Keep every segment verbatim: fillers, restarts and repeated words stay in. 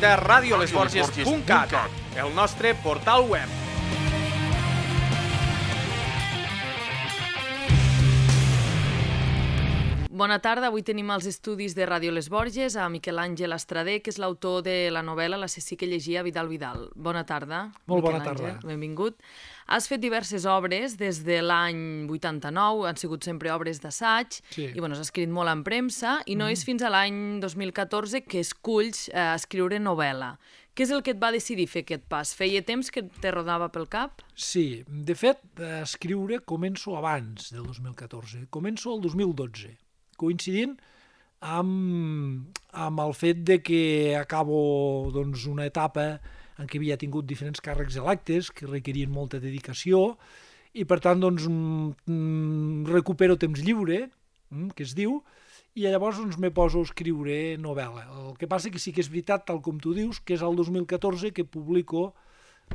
visita radio les borges punt cat, el nostre portal web. Bona tarda, avui tenim als estudis de Ràdio Les Borges a Miquel Àngel Estradé, que és l'autor de la novel·la L'assassí que llegia Vidal Vidal. Bona tarda. Molt bona tarda. Benvingut. Has fet diverses obres des de l'any vuitanta-nou, han sigut sempre obres d'assaig, sí. i bueno, has escrit molt en premsa, i no mm. és fins a l'any dos mil catorze que esculls eh, escriure novel·la. Què és el que et va decidir fer aquest pas? Feia temps que te rodava pel cap? Sí, de fet, escriure començo abans del dos mil catorze, començo el dos mil dotze. Coincidint amb, amb el fet de que acabo doncs, una etapa en què havia tingut diferents càrrecs electes que requerien molta dedicació i per tant doncs, mm, recupero temps lliure, mm, que es diu, i llavors doncs, me poso a escriure novel·la. El que passa que sí que és veritat, tal com tu dius, que és el dos mil catorze que publico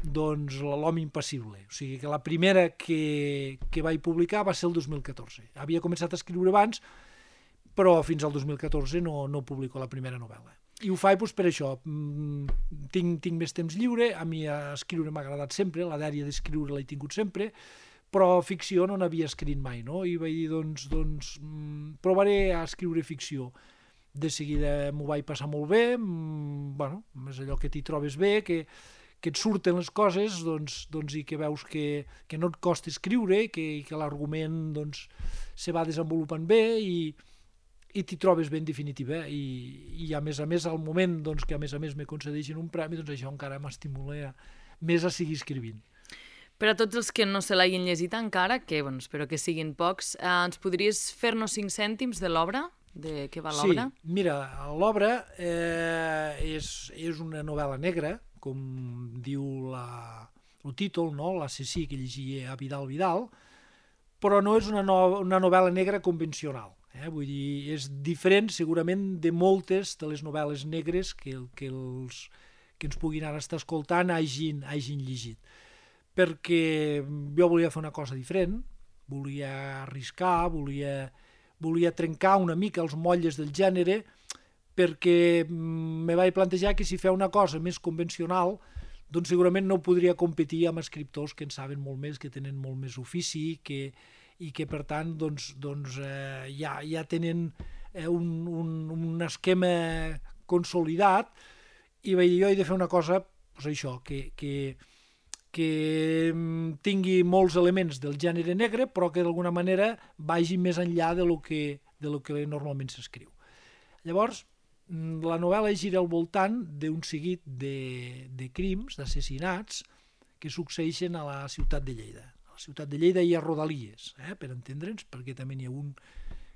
doncs, l'Home Impassible. O sigui que la primera que, que vaig publicar va ser el dos mil catorze. Havia començat a escriure abans, però fins al dos mil catorze no, no publico la primera novel·la. I ho faig doncs, per això. Tinc, tinc més temps lliure, a mi escriure m'ha agradat sempre, la dèria d'escriure l'he tingut sempre, però ficció no n'havia escrit mai, no? I vaig dir, doncs, doncs provaré a escriure ficció. De seguida m'ho vaig passar molt bé, bueno, és allò que t'hi trobes bé, que, que et surten les coses doncs, doncs, i que veus que, que no et costa escriure, que, que l'argument doncs, se va desenvolupant bé i i t'hi trobes bé en definitiva i, i a més a més al moment doncs, que a més a més me concedeixen un premi, doncs això encara m'estimula més a seguir escrivint. Per a tots els que no se l'hagin llegit encara, que bueno, espero que siguin pocs, eh, ens podries fer-nos cinc cèntims de l'obra? De què va l'obra? Sí, mira, l'obra eh, és, és una novel·la negra, com diu la, el títol, no? L'assassí que llegia a Vidal Vidal, però no és una, no, una novel·la negra convencional. Eh? Vull dir, és diferent segurament de moltes de les novel·les negres que, que, els, que ens puguin ara estar escoltant hagin, hagin llegit. Perquè jo volia fer una cosa diferent, volia arriscar, volia, volia trencar una mica els motlles del gènere, perquè me vaig plantejar que si feia una cosa més convencional, doncs segurament no podria competir amb escriptors que en saben molt més, que tenen molt més ofici, que i que per tant doncs, doncs, eh, ja, ja tenen eh, un, un, un esquema consolidat i vaig dir, jo he de fer una cosa doncs això, que, que, que tingui molts elements del gènere negre però que d'alguna manera vagi més enllà de lo que, de lo que normalment s'escriu. Llavors, la novel·la gira al voltant d'un seguit de, de crims, d'assassinats que succeeixen a la ciutat de Lleida. A la ciutat de Lleida i a Rodalies, eh, per entendre'ns, perquè també n'hi ha un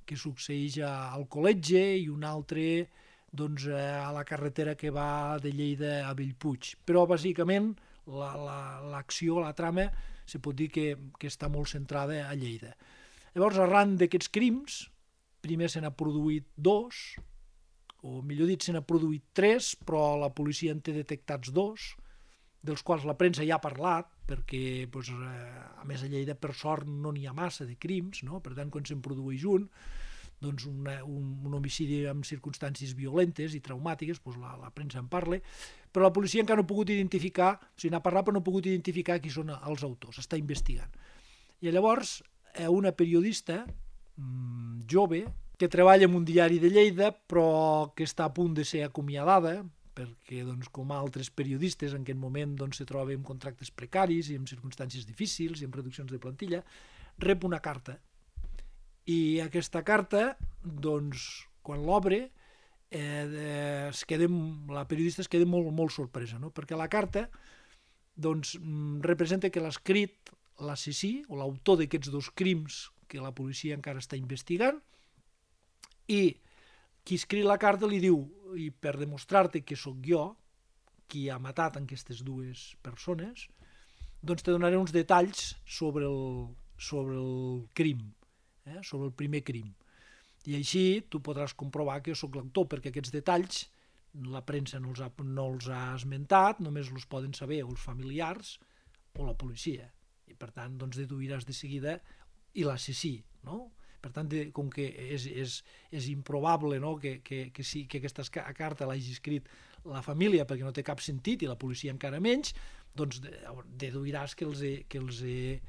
que succeeix a Alcoletge i un altre doncs, a la carretera que va de Lleida a Bellpuig. Però bàsicament l'acció, la, la, la trama, se pot dir que, que està molt centrada a Lleida. Llavors, arran d'aquests crims, primer se n'ha produït dos, o millor dit, se n'ha produït tres, però la policia en té detectats dos, dels quals la premsa ja ha parlat, perquè doncs, a més a Lleida per sort no n'hi ha massa de crims, no? Per tant quan se'n produeix un, doncs una, un, un homicidi amb circumstàncies violentes i traumàtiques, doncs la, la premsa en parla, però la policia encara no ha pogut identificar, o sigui, n'ha parlat però no ha pogut identificar qui són els autors, està investigant. I llavors una periodista mmm, jove, que treballa en un diari de Lleida, però que està a punt de ser acomiadada, perquè doncs, com altres periodistes en aquest moment doncs, se troba amb contractes precaris i en circumstàncies difícils i amb reduccions de plantilla, rep una carta. I aquesta carta, doncs, quan l'obre, eh, es queda, la periodista es queda molt, molt sorpresa, no? Perquè la carta doncs, representa que l'ha escrit l'assassí o l'autor d'aquests dos crims que la policia encara està investigant i qui escriu la carta li diu, i per demostrar-te que sóc jo qui ha matat aquestes dues persones, doncs te donaré uns detalls sobre el, sobre el crim, eh? Sobre el primer crim. I així tu podràs comprovar que jo sóc l'autor, perquè aquests detalls la premsa no els ha, no els ha esmentat, només els poden saber els familiars o la policia. I per tant, doncs, deduiràs de seguida i l'assassí, no? Per tant, de, com que és, és, és improbable, no? que, que, que, sí, que aquesta carta l'hagi escrit la família perquè no té cap sentit i la policia encara menys, doncs deduiràs que, els he, que, els he,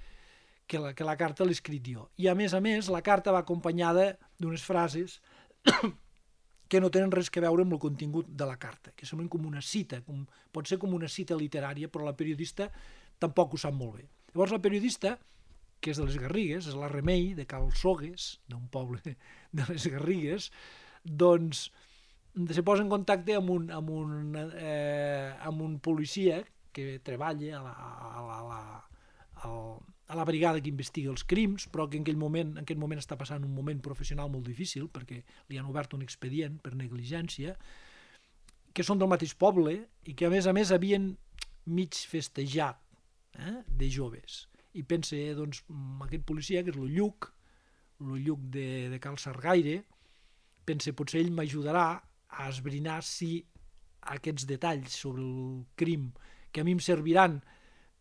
que, la, que la carta l'he escrit jo. I a més a més, la carta va acompanyada d'unes frases que no tenen res a veure amb el contingut de la carta, que semblen com una cita, com, pot ser com una cita literària, però la periodista tampoc ho sap molt bé. Llavors la periodista, que és de les Garrigues, és la Remei, de Cal Sogues, d'un poble de les Garrigues, doncs se posa en contacte amb un, amb un, eh, amb un policia que treballa a la, a la, a la, a la brigada que investiga els crims, però que en aquell moment, en aquell moment està passant un moment professional molt difícil, perquè li han obert un expedient per negligència, que són del mateix poble i que a més a més havien mig festejat, eh, de joves. I pense, doncs, aquest policia, que és el Lluc, el Lluc de, de Cal Sargaire, pense, potser ell m'ajudarà a esbrinar si aquests detalls sobre el crim que a mi em serviran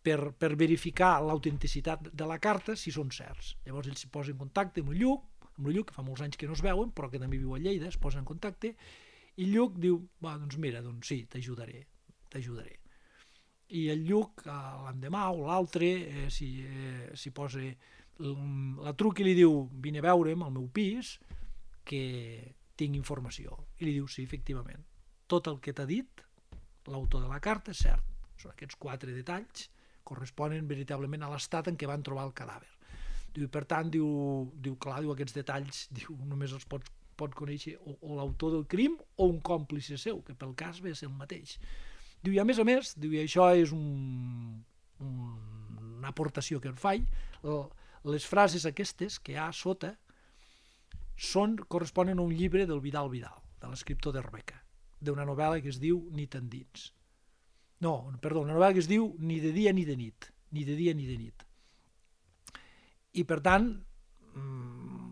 per, per verificar l'autenticitat de la carta, si són certs. Llavors ell s'hi posa en contacte amb el Lluc, amb el Lluc, que fa molts anys que no es veuen, però que també viu a Lleida, es posa en contacte, i el Lluc diu, va, doncs mira, doncs sí, t'ajudaré, t'ajudaré. I el Lluc, l'endemà o l'altre, eh, s'hi eh, posa, la truca i li diu, vine a veure'm al meu pis, que tinc informació. I li diu, sí, efectivament, tot el que t'ha dit l'autor de la carta és cert. Són aquests quatre detalls, corresponen veritablement a l'estat en què van trobar el cadàver. Diu, per tant, diu, diu clar, diu, aquests detalls diu, només els pot, pot conèixer o, o l'autor del crim o un còmplice seu, que pel cas ve a ser el mateix. Diu, i a més a més, diu, i això és un, un, una aportació que en faig, les frases aquestes que hi ha a sota són, corresponen a un llibre del Vidal Vidal, de l'escriptor d'Herbeca, d'una novel·la que es diu Nit endins. No, perdó, una novel·la que es diu Ni de dia ni de nit, ni de dia ni de nit. I per tant,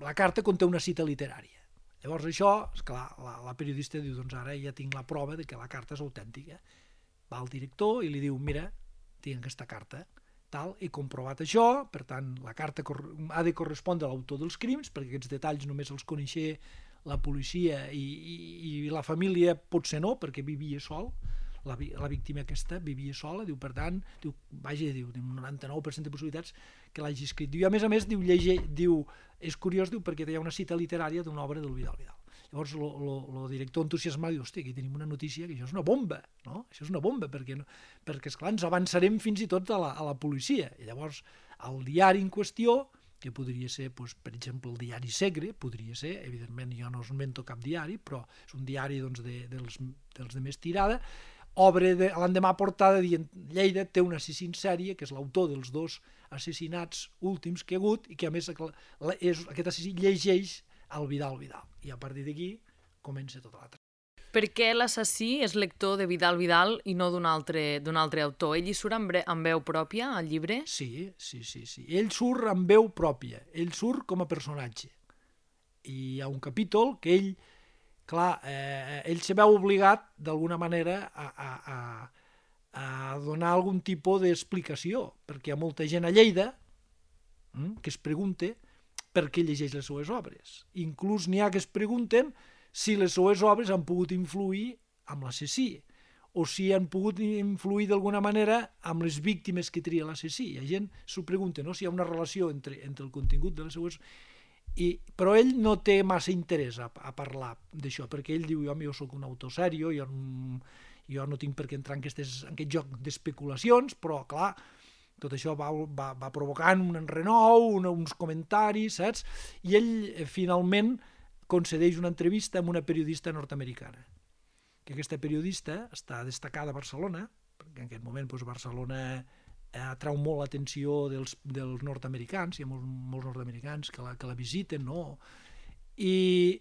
la carta conté una cita literària. Llavors això, esclar, la, la periodista diu, doncs ara ja tinc la prova de que la carta és autèntica. Va al director i li diu, mira, tinc aquesta carta, tal, he comprovat això, per tant, la carta ha de correspondre a l'autor dels crims, perquè aquests detalls només els coneixia la policia i, i, i la família potser no, perquè vivia sol, la, la víctima aquesta vivia sola, diu, per tant, diu, vaja, diu, un noranta-nou per cent de possibilitats que l'hagi escrit. Diu, a més a més, diu, llege, diu, és curiós, diu, perquè hi ha una cita literària d'una obra del Vidal Vidal. Llavors el director entusiasmat diu, hòstia, aquí tenim una notícia que això és una bomba, no? Això és una bomba, perquè, no, perquè esclar, ens avançarem fins i tot a la, a la policia. I llavors el diari en qüestió, que podria ser, doncs, per exemple, el diari Segre, podria ser, evidentment jo no us invento cap diari, però és un diari doncs, de, dels, dels de més tirada, obre de, l'endemà portada dient Lleida té un assassí en sèrie, que és l'autor dels dos assassinats últims que hi ha hagut, i que a més és, aquest assassí llegeix el Vidal Vidal. I a partir d'aquí comença tota l'altra. Per què l'assassí és lector de Vidal Vidal i no d'un altre, d'un altre autor? Ell hi surt amb, amb veu pròpia al llibre? Sí, sí, sí, sí. Ell surt amb veu pròpia. Ell surt com a personatge. I hi ha un capítol que ell, clar, eh, ell se veu obligat d'alguna manera a, a, a, a donar algun tipus d'explicació, perquè hi ha molta gent a Lleida hm, que es pregunta per què llegeix les seues obres. Inclús n'hi ha que es pregunten si les seues obres han pogut influir amb l'assassí, o si han pogut influir d'alguna manera amb les víctimes que tria l'assassí. Hi ha gent que s'ho pregunta, no? Si hi ha una relació entre, entre el contingut de les seues... I, però ell no té massa interès a, a parlar d'això, perquè ell diu, home, jo soc un autor sèrio, jo, jo no tinc per què entrar en, aquestes, en aquest joc d'especulacions, però, clar, tot això va, va, va provocant un renou, un, uns comentaris, saps? I ell, eh, finalment, concedeix una entrevista amb una periodista nord-americana, que aquesta periodista està destacada a Barcelona, perquè en aquest moment doncs, Barcelona eh, atrau molt l'atenció dels, dels nord-americans, hi ha molts, molts nord-americans que la, que la visiten, no? I,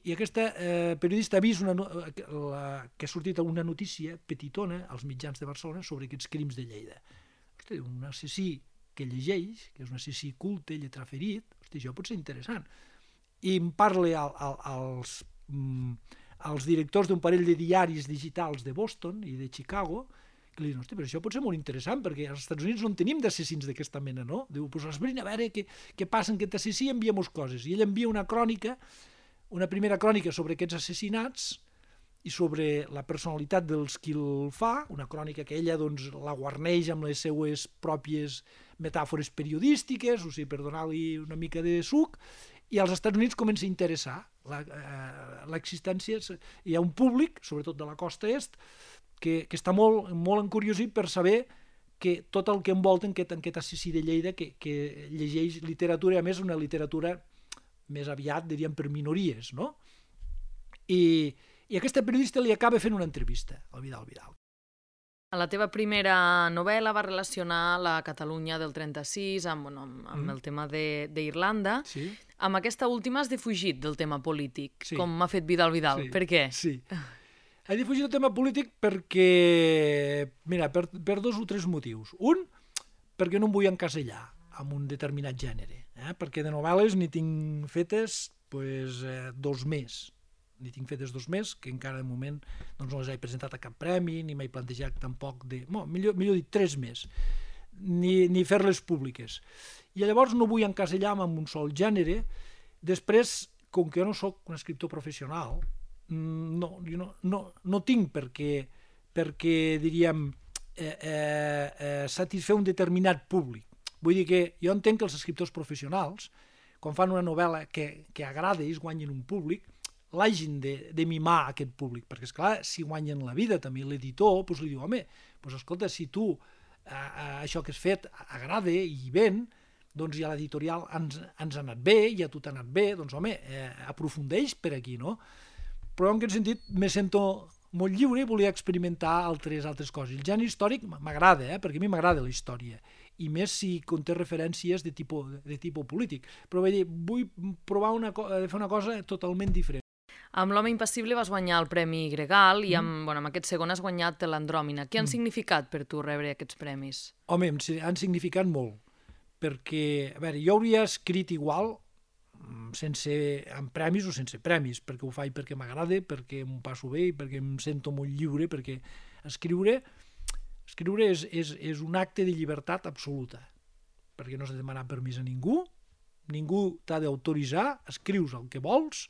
i aquesta eh, periodista ha vist una, la, que ha sortit una notícia petitona als mitjans de Barcelona sobre aquests crims de Lleida. Hosti, un assassí que llegeix, que és un assassí culte, lletraferit, hosti, això pot ser interessant. I em parla al, al, als, mm, als directors d'un parell de diaris digitals de Boston i de Chicago, que li diuen, hosti, però això pot ser molt interessant, perquè als Estats Units no en tenim d'assassins d'aquesta mena, no? Diu, doncs esbrina a veure què, què passa en aquest assassí i enviem-nos coses. I ell envia una crònica, una primera crònica sobre aquests assassinats, i sobre la personalitat dels qui el fa, una crònica que ella doncs, la guarneix amb les seues pròpies metàfores periodístiques, o sigui, per donar-li una mica de suc, i als Estats Units comença a interessar l'existència. Hi ha un públic, sobretot de la costa est, que, que està molt, molt encuriosit per saber que tot el que envolta en aquest, en aquest assassí de Lleida, que, que llegeix literatura, i a més una literatura més aviat, diríem, per minories, no? I, i aquesta periodista li acaba fent una entrevista al Vidal Vidal. A la teva primera novel·la va relacionar la Catalunya del trenta-sis amb, bueno, amb, amb mm. el tema d'Irlanda. Sí. Amb aquesta última has defugit del tema polític, sí. com m'ha fet Vidal Vidal. Sí. Per què? Sí. He defugit del tema polític perquè, mira, per, per dos o tres motius. Un, perquè no em vull encasellar amb un determinat gènere, eh? Perquè de novel·les n'hi tinc fetes pues, eh, dos més. N'hi tinc fetes dos més, que encara de moment doncs, no les he presentat a cap premi, ni m'he plantejat tampoc de... No, millor, millor dir, tres més, ni, ni fer-les públiques. I llavors no vull encasellar-me en un sol gènere. Després, com que jo no sóc un escriptor professional, no, jo no, no, no tinc perquè, perquè diríem, eh, eh, eh, satisfer un determinat públic. Vull dir que jo entenc que els escriptors professionals, quan fan una novel·la que, que agrada i es guanyen un públic, l'hagin de, de mimar a aquest públic, perquè esclar, si guanyen la vida també l'editor, doncs li diu, home, doncs escolta, si tu eh, això que has fet agrada i ven, doncs ja l'editorial ens, ens ha anat bé, ja a tu t'ha anat bé, doncs home, eh, aprofundeix per aquí, no? Però en aquest sentit me sento molt lliure i volia experimentar altres altres coses. El gènere històric m'agrada, eh, perquè a mi m'agrada la història, i més si conté referències de tipus, de tipus polític. Però vull dir, vull provar una, fer una cosa totalment diferent. Amb L'home impassible vas guanyar el Premi Gregal i amb, mm. bueno, amb aquest segon has guanyat l'Andròmina. Què han mm. significat per tu rebre aquests premis? Home, han significat molt, perquè, a veure, jo hauria escrit igual sense, amb premis o sense premis, perquè ho faig perquè m'agrada, perquè m'ho passo bé i perquè em sento molt lliure, perquè escriure, escriure és, és, és un acte de llibertat absoluta, perquè no s'ha de demanar permís a ningú, ningú t'ha d'autoritzar, escrius el que vols,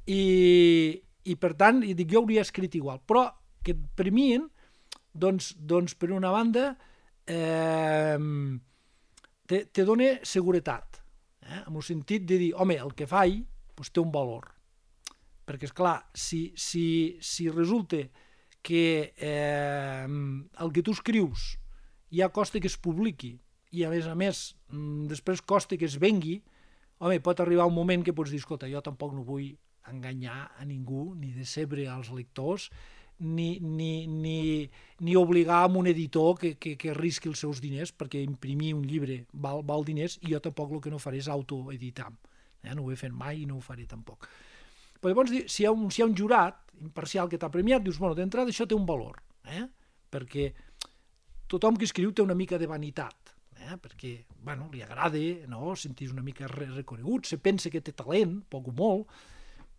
I, i per tant, dic, jo hauria escrit igual, però que et premien, doncs, doncs per una banda, eh, te, te dona seguretat, eh? En el sentit de dir, home, el que faig doncs, té un valor, perquè, esclar, si, si, si resulta que eh, el que tu escrius ja costa que es publiqui, i a més a més, després costa que es vengui, home, pot arribar un moment que pots dir, escolta, jo tampoc no vull enganyar a ningú, ni decebre als lectors, ni, ni, ni, ni obligar a un editor que, que, que risqui els seus diners, perquè imprimir un llibre val, val diners, i jo tampoc el que no faré és autoeditar. Eh? No ho he fet mai i no ho faré tampoc. Però llavors, si hi ha un, si hi ha un jurat imparcial que t'ha premiat, dius, bueno, d'entrada això té un valor, eh? Perquè tothom que escriu té una mica de vanitat, eh? Perquè, bueno, li agrada, no? Sentir una mica reconegut, se pensa que té talent, poc o molt,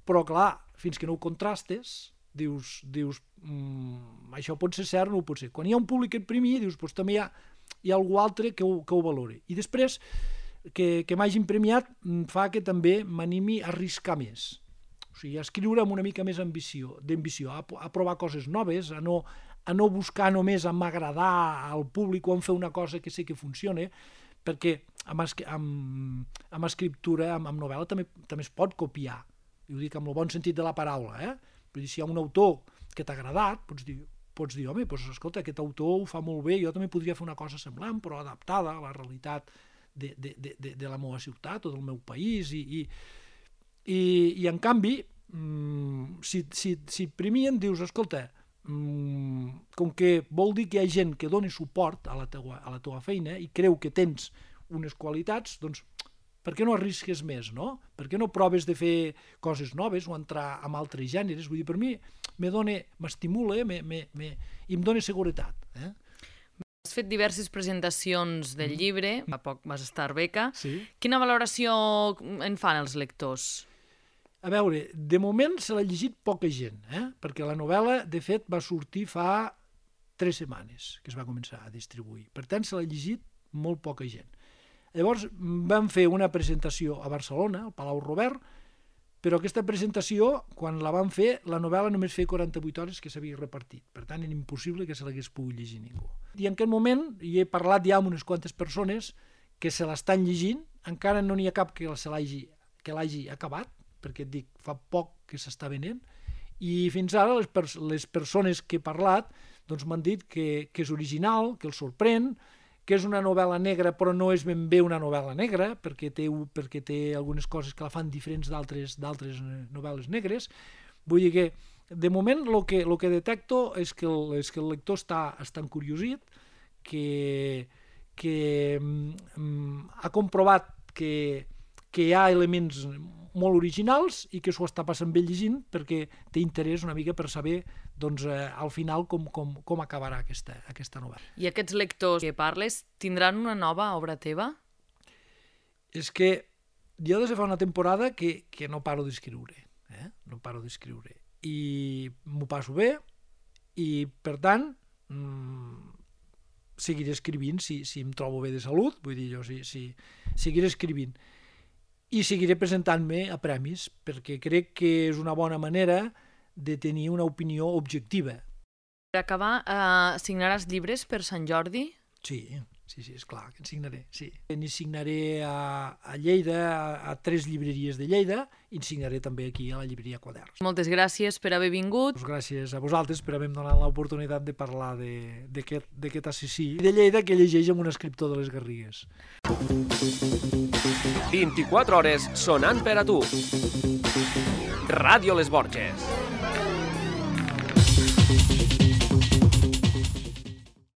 però clar, fins que no ho contrastes, dius, dius mmm, això pot ser cert o no pot ser. Quan hi ha un públic que et premia, dius, doncs també hi ha, hi ha algú altre que ho, que ho valori. I després, que, que m'hagin premiat fa que també m'animi a arriscar més. O sigui, a escriure amb una mica més ambició, d'ambició, a, a provar coses noves, a no, a no buscar només a m'agradar al públic o a fer una cosa que sé que funciona, perquè amb, amb, amb escriptura, amb, amb novel·la, també, també es pot copiar. I ho dic amb el bon sentit de la paraula, eh? Vull dir, si hi ha un autor que t'ha agradat, pots dir, pots dir, home, doncs, escolta, aquest autor ho fa molt bé, jo també podria fer una cosa semblant, però adaptada a la realitat de, de, de, de, de la meva ciutat o del meu país, i, i, i, i en canvi, mmm, si, si, si premien, dius, escolta, mmm, com que vol dir que hi ha gent que doni suport a la teua, a la teua feina i creu que tens unes qualitats, doncs, per què no arrisques més, no? Per què no proves de fer coses noves o entrar en altres gèneres? Vull dir, per mi m'estimula me, me, me, i em dona seguretat. Eh? Has fet diverses presentacions del llibre, fa poc vas estar a Arbeca. Sí. Quina valoració en fan els lectors? A veure, de moment se l'ha llegit poca gent, eh? Perquè la novel·la, de fet, va sortir fa tres setmanes que es va començar a distribuir. Per tant, se l'ha llegit molt poca gent. Llavors vam fer una presentació a Barcelona, al Palau Robert, però aquesta presentació, quan la van fer, la novel·la només feia quaranta-vuit hores que s'havia repartit. Per tant, era impossible que se l'hagués pogut llegir ningú. I en aquest moment hi he parlat ja amb unes quantes persones que se l'estan llegint, encara no n'hi ha cap que se l'hagi que l'hagi acabat, perquè et dic, fa poc que s'està venent, i fins ara les, pers les persones que he parlat doncs m'han dit que, que és original, que els sorprèn, que és una novel·la negra però no és ben bé una novel·la negra, perquè té, perquè té algunes coses que la fan diferents d'altres novel·les negres. Vull dir que, de moment, el que, lo que detecto és que el, és que el lector està, està encuriosit, que, que mm, ha comprovat que, que hi ha elements molt originals i que s'ho està passant bé llegint perquè té interès una mica per saber doncs, eh, al final com, com, com acabarà aquesta, aquesta novel·la. I aquests lectors que parles tindran una nova obra teva? És que jo des de fa una temporada que, que no paro d'escriure, eh? no paro d'escriure. I m'ho passo bé i, per tant, mmm, seguiré escrivint si, si em trobo bé de salut, vull dir jo, si, si, seguiré escrivint. I seguiré presentant-me a premis, perquè crec que és una bona manera de tenir una opinió objectiva. Per acabar, eh, signaràs llibres per Sant Jordi? Sí, sí, sí, és clar que en signaré, sí. N'hi signaré a, a Lleida, a, a tres llibreries de Lleida, i en signaré també aquí a la llibreria Quaderns. Moltes gràcies per haver vingut. Pues gràcies a vosaltres per haver-me donat l'oportunitat de parlar d'aquest assassí de Lleida que llegeix amb un escriptor de les Garrigues. vint-i-quatre hores sonant per a tu. Ràdio Les Borges.